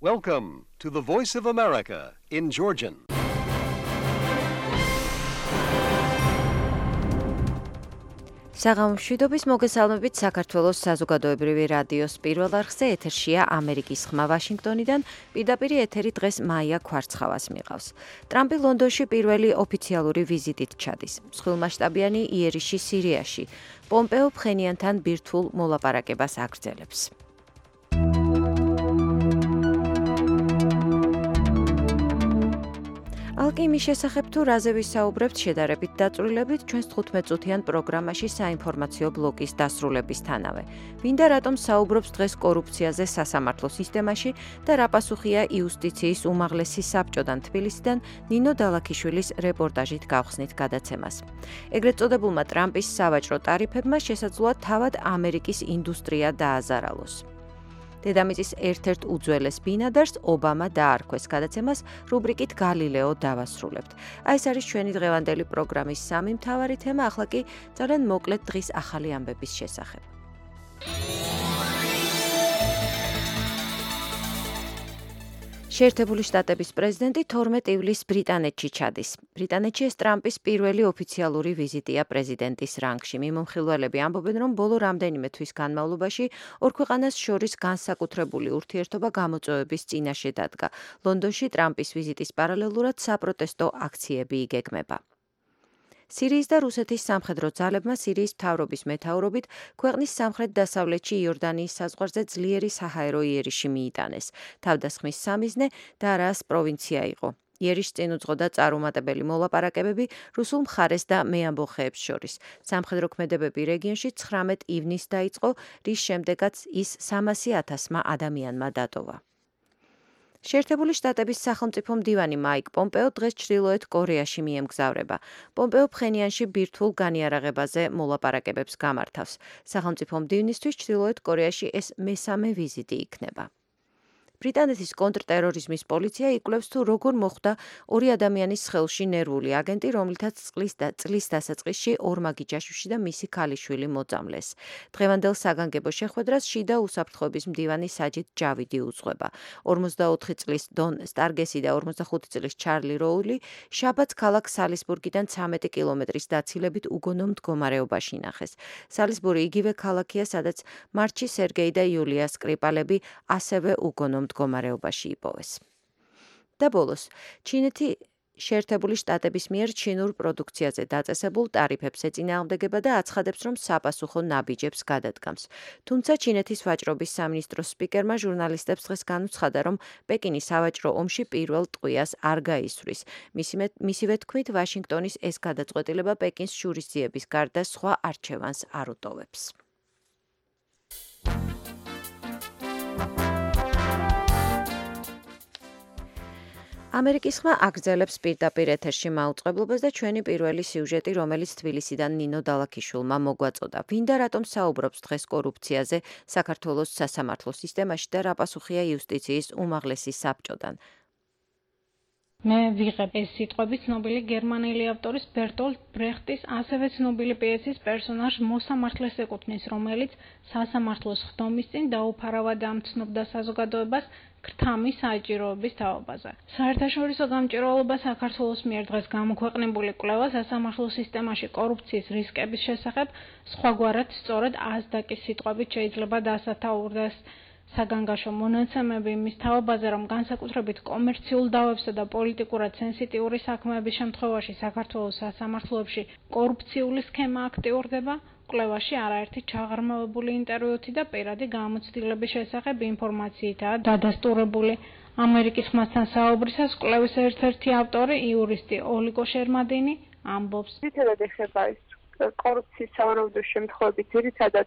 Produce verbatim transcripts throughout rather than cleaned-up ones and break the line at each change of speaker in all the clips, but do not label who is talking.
Welcome to the Voice of America in Georgian.
საღამომშვიდობის მოგესალმებით საქართველოს საზოგადოებრივი რადიოს პირველ არხზე ეთერშია ამერიკის ხმა ვაშინგტონიდან, პირდაპირ ეთერი დღეს მაია ქვარცხავას მიყავს. ტრამპი ლონდონში პირველი ოფიციალური ვიზიტით ჩადის. მსხვილმასშტაბიანი იერიში სირიაში. პომპეო ფხენიანთან ბირთვულ მოლაპარაკებას აგრძელებს. ალკიმის შესახებ თუ რაზე ვისაუბრებთ შედარებით დაწვრილებით ჩვენს თხუთმეტ-წუთიან პროგრამაში საინფორმაციო ბლოკის დასრულებისთანავე. ვინდა რატომ საუბრობს დღეს კორუფციაზე სასამართლო სისტემაში და რა პასუხია იუსტიციის უმაღლესი საბჭოდან თბილისიდან ნინო დალაქიშვილის რეპორტაჟით გავხსნით გადაცემას. ეგრეთ წოდებულმა ტრამპის სავაჭრო ტარიფებმა შესაძლოა თავად ამერიკის ინდუსტრია დააზარალოს. დედამიწის ერთ-ერთ უძველეს ბინადარს ობამა დაარქვეს. გადაცემას რუბრიკით გალილეო დავასრულებთ. აი ეს არის ჩვენი დღევანდელი პროგრამის სამი მთავარი თემა, ახლა კი ძალიან მოკლედ დღის ახალი ამბების შესახებ. შეერთებული შტატების პრეზიდენტი თორმეტ ივლისს ბრიტანეთში ჩადის. ბრიტანეთში ეს ტრამპის პირველი ოფიციალური ვიზიტია პრეზიდენტის რანგში. მიმომხილველები ამბობენ, რომ ბოლო რამდენიმე თვის განმავლობაში ორ ქვეყანას შორის განსაკუთრებული ურთიერთობა გამოწვევების წინაშე დადგა. ლონდონში ტრამპის ვიზიტის პარალელურად საპროტესტო აქციები იგეგმება. სირიის და რუსეთის სამხედრო ძალებმა სირიის მთავრობის მეთაურობით ქვეყნის სამხრეთ-დასავლეთში იორდანიის საზღვარზე ძლიერი საჰაერო იერიში მიიტანეს. თავდასხმის სამიზნე დარაას პროვინცია იყო. იერიში წინ უძღოდა წარუმატებელი მოლაპარაკებები რუსულ მხარეს და მეამბოხეებს შორის. სამხედრო ქმედებები რეგიონში ცხრამეტ ივნისს დაიწყო, რის შემდეგაც ის სამასი ათასმა ადამიანმა დატოვა. შეერთებული შტატების სახელმწიფო მდივანი მაიკ პომპეო დღეს ჩრდილოეთ კორეაში მიემგზავრება. პომპეო ფხენიანში ბირთვულ განიარაღებაზე მოლაპარაკებებს გამართავს. სახელმწიფო მდივნისთვის ჩრდილოეთ კორეაში ეს მესამე ვიზიტი იქნება. ბრიტანეთის კონტრტერორიზმის პოლიცია იკვლევს თუ როგორ მოხვდა ორი ადამიანის სხეულში ნერვული აგენტი, რომლითაც წყლის და წლის დასაწყისში ორმაგი ჯაშუში და მისი ქალიშვილი მოწამლეს. დღევანდელ საგანგებო შეხვედრას შიდა უსაფრთხოების მდივანი საჯიდ ჯავიდი უძღვება. ორმოცდაოთხი წლის დონ სტარგესი და ორმოცდახუთი წლის ჩარლი როული შაბათს ქალაქ სალისბურგიდან ცამეტი კილომეტრის დაცილებით უგონო მდგომარეობაში ნახეს. სალისბური იგივე ქალაქია, სადაც მარტში სერგეი და იულია სკრიპალები ასევე უგონო მდგომარეობაში იპოვეს. და ბოლოს, ჩინეთი შეერთებული შტატების მიერ ჩინურ პროდუქციაზე დაწესებულ ტარიფებს ეწინააღმდეგება და აცხადებს, რომ საფასუხო ნაბიჯებს გადადგამს. თუმცა ჩინეთის ვაჭრობის სამინისტროს სპიკერმა ჟურნალისტებს დღეს განუცხადა, რომ პეკინი სავაჭრო ომში პირველ ტყვიას არ გაისვრის. მისივე თქმით, ვაშინგტონის ეს გადაწყვეტილება პეკინს შურისძიების გარდა სხვა არჩევანს არ უტოვებს. ამერიკის ხმა აგრძელებს პირდაპირ ეთერში მაუწყებლობას და ჩვენი პირველი სიუჟეტი, რომელიც თბილისიდან ნინო დალაქიშვილმა მოგვაწოდა. ვინდა რატომ საუბრობს დღეს კორუფციაზე საქართველოს სასამართლო სისტემაში და რა პასუხია იუსტიციის უმაღლესი საბჭოდან.
მე ვიღებ ეს სიტყვები ცნობილი გერმანელი ავტორის ბერტოლტ ბრეხტის ასევე ცნობილი პიესის პერსონაჟ მოსამართლეს ეკუთვნის, რომელიც სასამართლოს ხდომის წინ დაუფარავად ამცნობდა საზოგადოებას ქრთამის საჭიროების თაობაზე. საერთაშორისო გამჭვირვალობა საქართველოს მიერ დღეს გამოქვეყნებული კვლევა სასამართლო სისტემაში კორუფციის რისკების შესახებ სხვაგვარად სწორედ აზდაკის სიტყვებით შეიძლება დასათაურდეს. საგანგაშო მონაცემები იმის თაობაზე, რომ განსაკუთრებით კომერციულ დავებსა და პოლიტიკურად სენსიტიური საქმეების შემთხვევაში საქართველოს სასამართლოებში კორუფციული სქემა აქტიურდება, კვლევაში არაერთი ჩაღრმავებული ინტერვიუთი და პირადი გამოცდილების შესახებ ინფორმაციითაა დადასტურებული. ამერიკის ხმასთან საუბრისას კვლევის ერთ-ერთი ავტორი, იურისტი ოლიგო შერმადინი ამბობს.
ძირითადად ეხება ის კორუფციის სავარაუდო შემთხვევები ძირითადად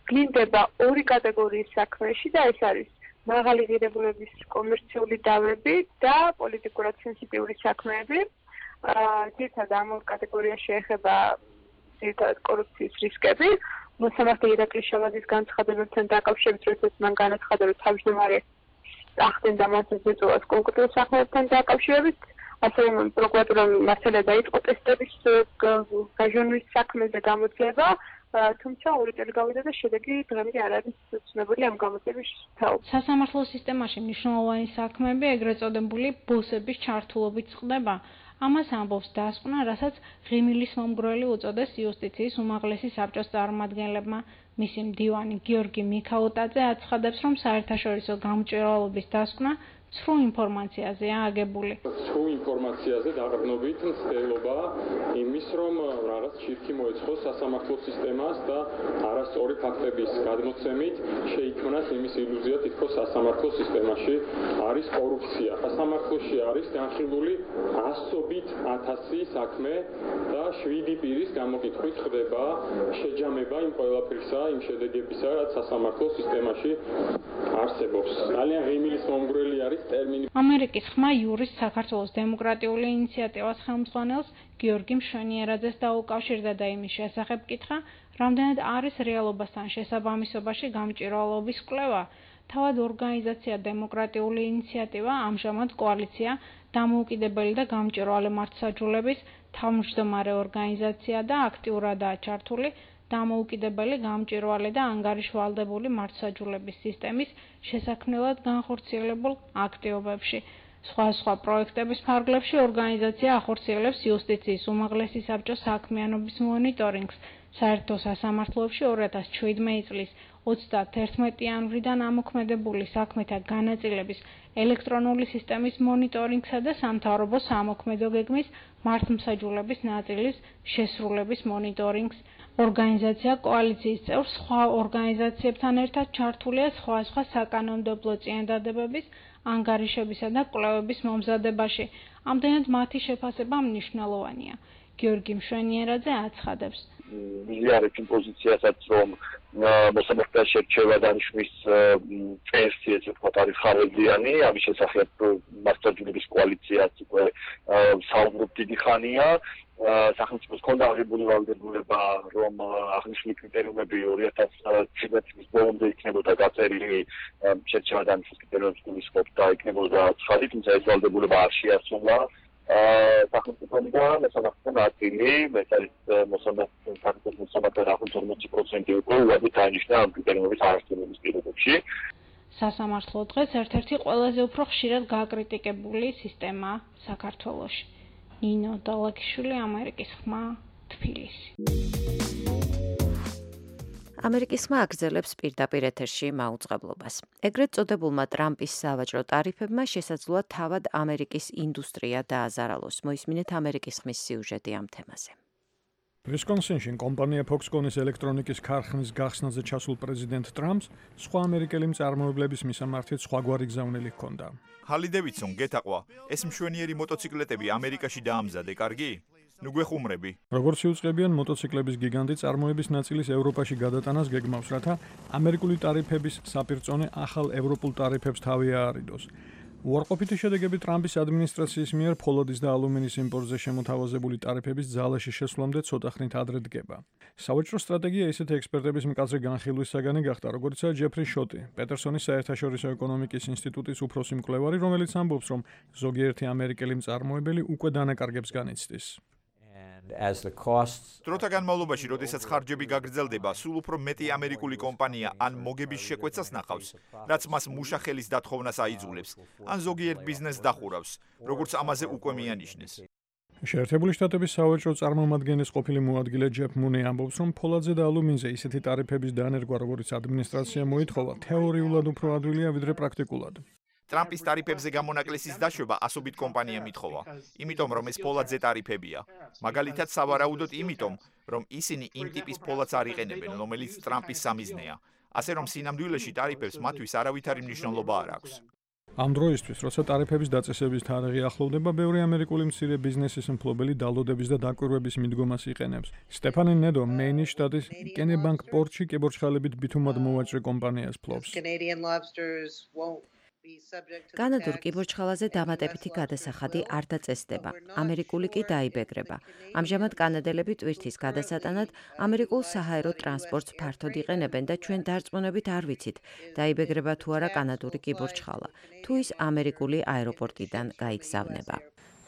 გინდება ორი კატეგორიის საქმეში და ეს არის მაღალი ღირებულების კომერციული დავები და პოლიტიკურად სენსიტიური საქმეები. ძირითადად ამ ორ კატეგორიაში ეხება ძირითადად კორუფციის რისკები. მოსამართლე ირაკლი შალაძის განცხადებებთან დაკავშირებით, როდესაც მან განაცხადა, რომ თავმჯდომარე ახდენდა მას ეწევა კონკრეტულ საქმეებთან დაკავშირებით, ასევე პროკურატურამ მასალა დაიწყო ტესტების გაჟონვის საქმეზე გამოძიება, თუმცა ორი წელი გავიდა და შედეგი დღემდე არ არის ცნობილი ამ გამოცემის თაობ.
სასამართლო სისტემაში მნიშვნელოვანი საქმეები ეგრეთ წოდებული ბოსების ჩართულობით წყდება. ამას ამბობს დასკვნა, რასაც ღიმილის მომგვრელი უწოდეს იუსტიციის უმაღლესი საბჭოს წარმომადგენლებმა. მისი მდივანი გიორგი მიქაუტაძე აცხადებს, რომ საერთაშორისო გამჭვირვალობის დასკვნა ცრუ ინფორმაციაზეა აგებული.
ცრუ ინფორმაციაზე დაყრდნობით მცდელობა იმის, რომ რაღაც ჩირქი მოეწყოს სასამართლო სისტემას და არასწორი ფაქტების გადმოცემით შეიქმნას იმის ილუზია, თითქოს სასამართლო სისტემაში არის კორუფცია. სასამართლოში არის განხილული ასობით ათასი საქმე და შვიდი პირის გამოკითხვით ხდება შეჯამება იმ ყველაფრისა, იმ შედეგებისა, რაც სასამართლო სისტემაში არსებობს. ძალიან ღიმილის მომგვრელი არის
ამერიკის ხმა იურის საქართველოს დემოკრატიული ინიციატივას ხელმძღვანელს გიორგი მშვენიერაძეს დაუკავშირდა და იმის შესახებ კითხა, რამდენად არის რეალობასთან შესაბამისობაში გამჭვირვალობის კვლევა. თავად ორგანიზაცია დემოკრატიული ინიციატივა, ამჟამად კოალიცია დამოუკიდებელი და გამჭვირვალე მართლმსაჯულების თავმჯდომარე ორგანიზაცია და აქტიურადაა ჩართული დამოუკიდებელი, გამჭვირვალე და ანგარიშვალდებული მართლმსაჯულების სისტემის შესაქმნელად განხორციელებულ აქტივობებში. სხვა სხვა პროექტების ფარგლებში ორგანიზაცია ახორციელებს იუსტიციის უმაღლესი საბჭოს საქმიანობის მონიტორინგს. საერთო სასამართლოებში ორი ათას შვიდმეტი წლის ოცდაათი იანვრიდან ამოქმედებული საქმეთა განაწილების ელექტრონული სისტემის მონიტორინგსა და სამთავრობო სამოქმედო გეგმის მართლმსაჯულების ნაწილის შესრულების მონიტორინგს. ორგანიზაცია კოალიციის წევრ სხვა ორგანიზაციებთან ერთად ჩართულია სხვა სხვა საკანონმდებლო წინადადებების, ანგარიშებისა და კვლევების მომზადებაში. ამდენად მათი შეფასება მნიშვნელოვანია. გიორგი მშვენიერაძე აცხადებს.
მიზიარებს იმ პოზიციასაც, რომ მოსამართლეთა შერჩევა დანიშნვის წესი, ესე ვთქვათ, არის ხარებიანი, ამის შესახებ მართლმსაჯულების კოალიციაც უკვე საუბრობ დიდი ხანია. სახელმწიფოს ჰქონდა აღებული ვალდებულება, რომ აღნიშნული კრიტერიუმები ორი ათას შვიდმეტი წლის ბოლომდე იქნებოდა გაწერილი, შერჩევა დანიშნვის კრიტერიუმებს გულისხმობდა, იქნებოდა ცხადი, თუმცა ეს ვალდებულება არ შეასრულა. სახელმწიფოდან მოსამართლეთა ნაწილი, ეს არის მოსამართლეთა მოსამართლეთა ახლოს ორმოცი პროცენტი უკვე უადით დაინიშნა ამ კრიტერიუმების არასწორობის პირობებში.
სასამართლო დღეს ერთ-ერთი ყველაზე უფრო ხშირად გაკრიტიკებული სისტემაა საქართველოში. ნინო დალაკიშვილი, ამერიკის ხმა, თბილისი.
ამერიკის ხმა აგრძელებს პირდაპირ ეთერში მაუწყებლობას. ეგრეთ წოდებულმა ტრამპის სავაჭრო ტარიფებმა შესაძლოა თავად ამერიკის ინდუსტრია დააზარალოს. მოისმინეთ ამერიკის ხმის სიუჟეტი ამ თემაზე.
ვისკონსინში კომპანია Foxconn-ის ელექტრონიკის ქარხნის გახსნაზე ჩასულ პრეზიდენტ ტრამპს სხვა ამერიკელი მწარმოებლების მისამართით სხვაგვარი გზავნილი ჰქონდა.
ჰარლი დევიდსონ გეთაყვა, ეს მშვენიერი მოტოციკლეტები ამერიკაში დაამზადე, კარგი? ნუ გვეხუმრები.
როგორც იუწყებიან მოტოციკლების გიგანტი წარმოების ნაწილის ევროპაში გადატანას გეგმავს, რათა ამერიკული ტარიფების საპირწონე ახალ ევროპულ ტარიფებს თავი აარიდოს. უარყოფითი შედეგები ტრამპის ადმინისტრაციის მიერ ფოლადის და ალუმინის იმპორტზე შემოთავაზებული ტარიფების ძალაში შესვლამდე ცოტა ხნით ადრე დგება. სავაჭრო სტრატეგია ისეთი ექსპერტების მკაცრი განხილვის საგანი გახდა, როგორიცაა ჯეფრი შოტი, პეტერსონის საერთაშორისო ეკონომიკის ინსტიტუტის უფროსი მკვლევარი, რომელიც ამბობს, რომ ზოგიერთი ამერიკელი მწარმოებელი უკვე დანაკარგებს განიცდის.
დროთა განმავლობაში, როდესაც ხარჯები გაგრძელდება, სულ უფრო მეტი ამერიკული კომპანია ან მოგების შეკვეცას ნახავს, რაც მას მუშახელის დათხოვნას აიძულებს, ან ზოგიერთ ბიზნესს დახურავს, როგორც ამაზე უკვე მიანიშნეს.
შეერთებული შტატების სავაჭრო წარმომადგენლის ყოფილი მოადგილე ჯეფ მუნი ამბობს, რომ ფოლადზე და ალუმინზე ისეთი ტარიფების დანერგვა, როგორც ადმინისტრაცია მოითხოვა, თეორიულად უფრო ადვილია, ვიდრე პრაქტიკულად.
ტრამპის ტარიფებზე გამონაკლისის დაშვება ასობით კომპანიამ ითხოვა, იმიტომ რომ ეს ფოლადზე ტარიფებია. მაგალითად, სავარაუდოდ იმიტომ, რომ ისინი იმ ტიპის ფოლადს არ იყენებენ, რომელიც ტრამპის სამიზნეა. ასე რომ სინამდვილეში ტარიფებს მათთვის არავითარი მნიშვნელობა არ აქვს.
ამ დროისთვის, როცა ტარიფების დაწესების თარიღი ახლოვდება, ბევრი ამერიკული მცირე ბიზნესის მფლობელი დალოდების და დაკვირვების მიდგომას იყენებს. სტეფანი ნედო, მეინის შტატის კენებანკ პორტში კებორჩხალებით ბითუმად მოვაჭრე კომპანიას ფლობს.
კანადურ კიბორჩხალაზე დამატებითი გადასახადი არ დაწესდება, ამერიკული კი დაიბეგრება. ამჟამად კანადელები ტვირთის გადასატანად ამერიკულ საჰაერო ტრანსპორტს ფართოდ იყენებენ და ჩვენ დარწმუნებით არ ვიცით, დაიბეგრება თუ არა კანადური კიბორჩხალა, თუ ის ამერიკული აეროპორტიდან გაიგზავნება.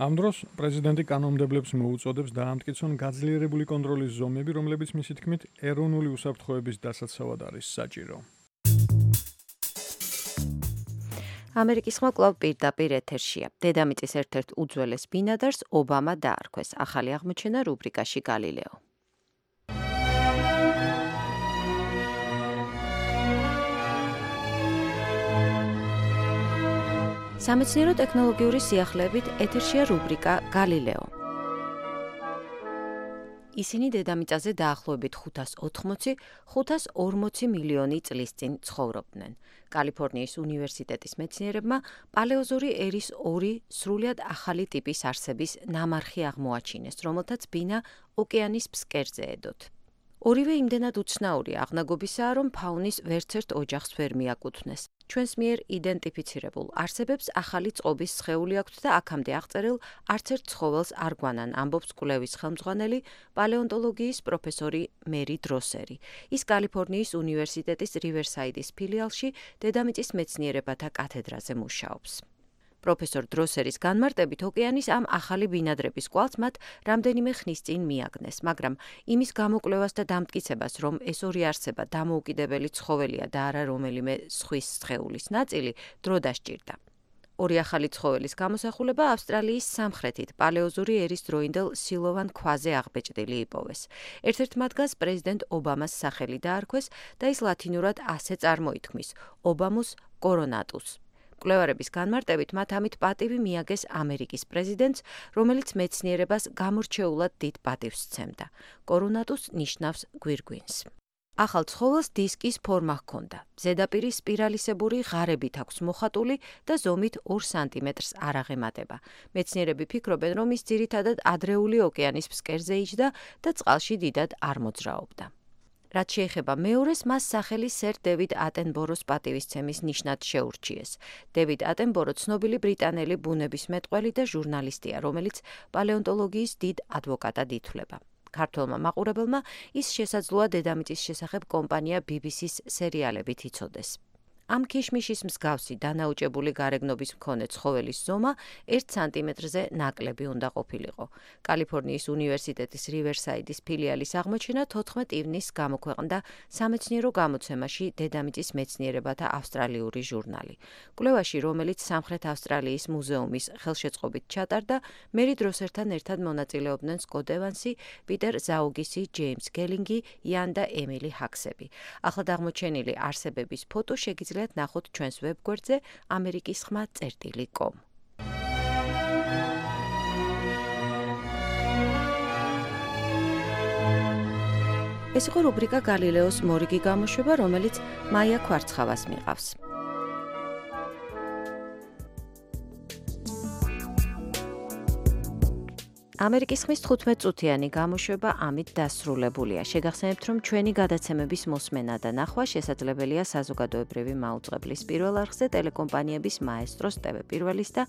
ამ დროს პრეზიდენტი კანონმდებლებს მოუწოდებს დაამტკიცონ გაძლიერებული კონტროლის ზომები, რომლებიც მისი თქმით ეროვნული უსაფრთხოების დასაცავად არის საჭირო.
ამერიკის ხმა კვლავ პირდაპირ ეთერშია. დედამიწის ერთ-ერთ უძველეს ბინადარს ობამა დაარქვეს. ახალი აღმოჩენა რუბრიკაში გალილეო. სამეცნიერო ტექნოლოგიური სიახლეებით ეთერშია რუბრიკა გალილეო. ისინი დედამიწაზე დაახლოებით ხუთას ოთხმოცი - ხუთას ორმოცი მილიონი წლის წინ ცხოვრობდნენ. კალიფორნიის უნივერსიტეტის მეცნიერებმა პალეოზოური ერის ორი სრულიად ახალი ტიპის არსების ნამარხი აღმოაჩინეს, რომელთაც ბინა ოკეანის ფსკერზეედოთ. ორივე იმდენად უცნაური აღნაგობისაა, რომ ფაუნის ვერცერთ ოჯახს ვერ მიაკუთვნეს. ჩვენს მიერ იდენტიფიცირებულ არსებებს ახალი წყობის სხეული აქვთ და აქამდე აღწერილ არცერთ ცხოველს არ გვანან, ამბობს კვლევის ხელმძღვანელი პალეონტოლოგიის პროფესორი მერი დროსერი. ის კალიფორნიის უნივერსიტეტის რივერსაიდის ფილიალში დედამიწის მეცნიერებათა კათედრაზე მუშაობს. პროფესორ დროსერის განმარტებით ოკეანის ამ ახალი ბინადრების კვალს მათ რამდენიმე ხნის წინ მიაგნეს, მაგრამ იმის გამოკვლევას და დამტკიცებას, რომ ეს ორი არსება დამოუკიდებელი ცხოველია და არა რომელიმე ზღვის სხეულის ნაწილი, დრო დასჭირდა. ორი ახალი ცხოველის გამოსახულება ავსტრალიის სამხრეთით პალეოზოური ერის დროინდელ სილოვან ქვაზე აღბეჭდილი იპოვეს. ერთ-ერთ მათგანს პრეზიდენტ ობამას სახელი დაარქვეს და ის ლათინურად ასე წარმოითქმის: ობამუს კორონატუს. კვლევარების განმარტებით მათ ამით პატივი მიაგეს ამერიკის პრეზიდენტს, რომელიც მეცნიერებას გამორჩეულად დიდ პატივს სცემდა. კორონატუს ნიშნავს გვირგვინს. ახალ ცხოველს დისკის ფორმა ჰქონდა. ზედაპირი სპირალისებური ღარებით აქვს მოხატული და ზომით ორ სანტიმეტრს არ აღემატება. მეცნიერები ფიქრობენ, რომ ის ძირითადად ადრეული ოკეანის ფსკერზე იჯდა და წყალში დიდად არ მოძრაობდა. რაც შეეხება მეორეს, მას სახელი სერ დევიდ ატენბოროს პატივისცემის ნიშნად შეურჩიეს. დევიდ ატენბორო ცნობილი ბრიტანელი ბუნებისმეტყველი და ჟურნალისტია, რომელიც პალეონტოლოგიის დიდ ადვოკატად ითვლება. ქართველმა მაყურებელმა ის შესაძლოა დედამიწის შესახებ კომპანია ბი ბი სის სერიალებით იცოდეს. ამ ქიშმიშის მსგავსი დანაუჭებული გარეგნობის მქონე ცხოველის ზომა ერთ სანტიმეტრზე ნაკლები უნდა ყოფილიყო. კალიფორნიის უნივერსიტეტის რივერსაიდის ფილიალის აღმოჩენა თოთხმეტ ივნისს გამოქვეყნდა სამეცნიერო გამოცემაში დედამიწის მეცნიერებათა ავსტრალიური ჟურნალი. კვლევაში, რომელიც სამხრეთ ავსტრალიის მუზეუმის ხელშეწყობით ჩატარდა, მერი დროსერთან ერთად მონაწილეობდნენ სკოტ ევანსი, პიტერ ზაუგისი, ჯეიმს გელინგი, იან და ემილი ჰაქსები. ახლად აღმოჩენილი არსებების ფოტო შეგიძლიათ ნახოთ ჩვენს ვებგვერდზე ამერიკის ხმა წერტილი კომ. ეს იყო რუბრიკა გალილეოს მორიგი გამოშვება, რომელიც მაია ქვარცხავას მიყავს. ამერიკის ხმის თხუთმეტწუთიანი გამოშვება ამით დასრულებულია. შეგახსენებთ, რომ ჩვენი გადაცემების მოსმენა და ნახვა შესაძლებელია საზოგადოებრივი მაუწყებლის პირველ არხზე, ტელეკომპანიების მაესტროს, ტევ პირველის და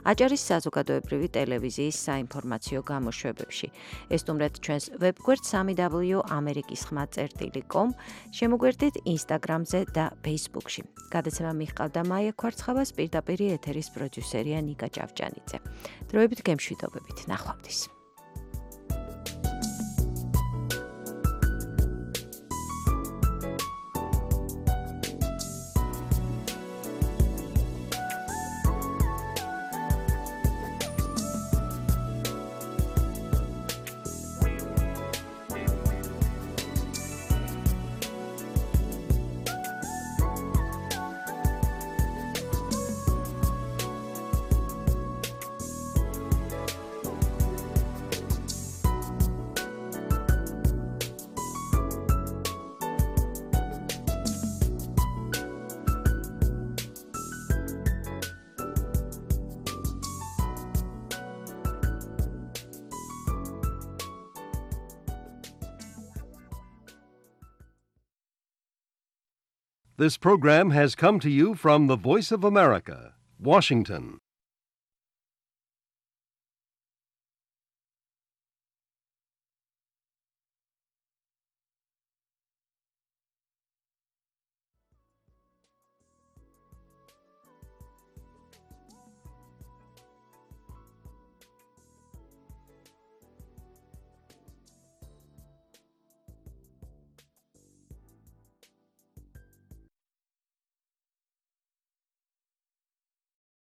აჭარის საზოგადოებრივი ტელევიზიის საინფორმაციო გამოშვებებში. ესტუმრეთ ჩვენს ვებგვერდ სამი დაბლიუ ამერიკის ხმა წერტილი კომ, შემოგვერდით ინსტაგრამზე და ფეისბუქში. გადაცემა მიჰყავდა მაია ქვარცხავას, პირდაპირ ეთერის პროდიუსერია ნიკა ჭავჭანიძე. დროებით გემშვიდობებით, ნახვამდის.
This program has come to you from the Voice of America, Washington.